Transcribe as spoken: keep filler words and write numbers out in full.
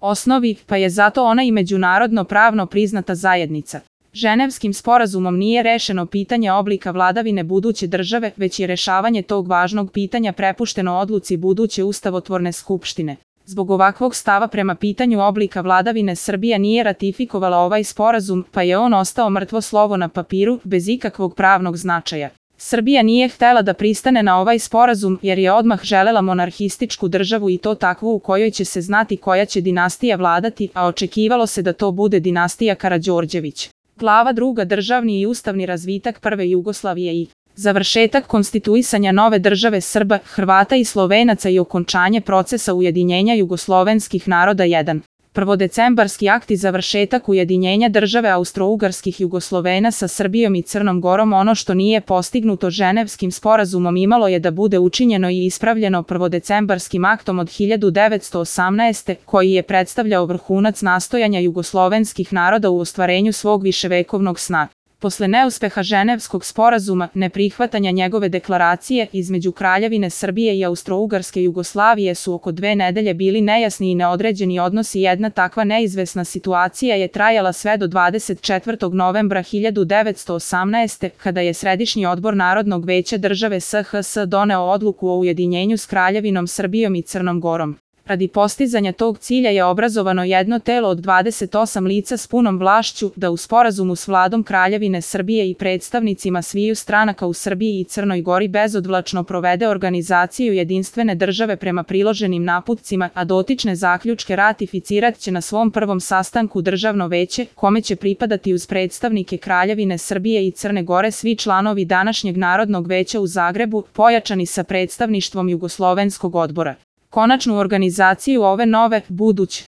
osnovi, pa je zato ona i međunarodno pravno priznata zajednica. Ženevskim sporazumom nije rešeno pitanje oblika vladavine buduće države, već je rešavanje tog važnog pitanja prepušteno odluci buduće ustavotvorne skupštine. Zbog ovakvog stava prema pitanju oblika vladavine Srbija nije ratifikovala ovaj sporazum, pa je on ostao mrtvo slovo na papiru, bez ikakvog pravnog značaja. Srbija nije htela da pristane na ovaj sporazum jer je odmah želela monarhističku državu i to takvu u kojoj će se znati koja će dinastija vladati, a očekivalo se da to bude dinastija Karađorđević. Glava druga Državni i ustavni razvitak prve Jugoslavije i završetak konstituisanja nove države Srba, Hrvata i Slovenaca i okončanje procesa ujedinjenja jugoslovenskih naroda jedan. Prvodecembarski akt i završetak ujedinjenja države Austro-Ugarskih Jugoslovena sa Srbijom i Crnom Gorom. Ono što nije postignuto Ženevskim sporazumom imalo je da bude učinjeno i ispravljeno prvodecembarskim aktom od hiljadu devetsto osamnaeste. koji je predstavljao vrhunac nastojanja jugoslovenskih naroda u ostvarenju svog viševekovnog sna. Posle neuspeha Ženevskog sporazuma, neprihvatanja njegove deklaracije, između Kraljevine Srbije i Austro-Ugarske Jugoslavije su oko dve nedelje bili nejasni i neodređeni odnosi. Jedna takva neizvesna situacija je trajala sve do dvadeset četvrtog novembra hiljadu devetsto osamnaeste. kada je Središnji odbor Narodnog veća države S H S doneo odluku o ujedinjenju s Kraljevinom Srbijom i Crnom Gorom. Radi postizanja tog cilja je obrazovano jedno telo od dvadeset osam lica s punom vlašću da u sporazumu s vladom Kraljevine Srbije i predstavnicima sviju stranaka u Srbiji i Crnoj Gori bezodvlačno provede organizaciju jedinstvene države prema priloženim naputcima, a dotične zaključke ratificirat će na svom prvom sastanku Državno veće, kome će pripadati uz predstavnike Kraljevine Srbije i Crne Gore svi članovi današnjeg Narodnog veća u Zagrebu, pojačani sa predstavništvom Jugoslovenskog odbora. Konačnu organizaciju ove nove, buduće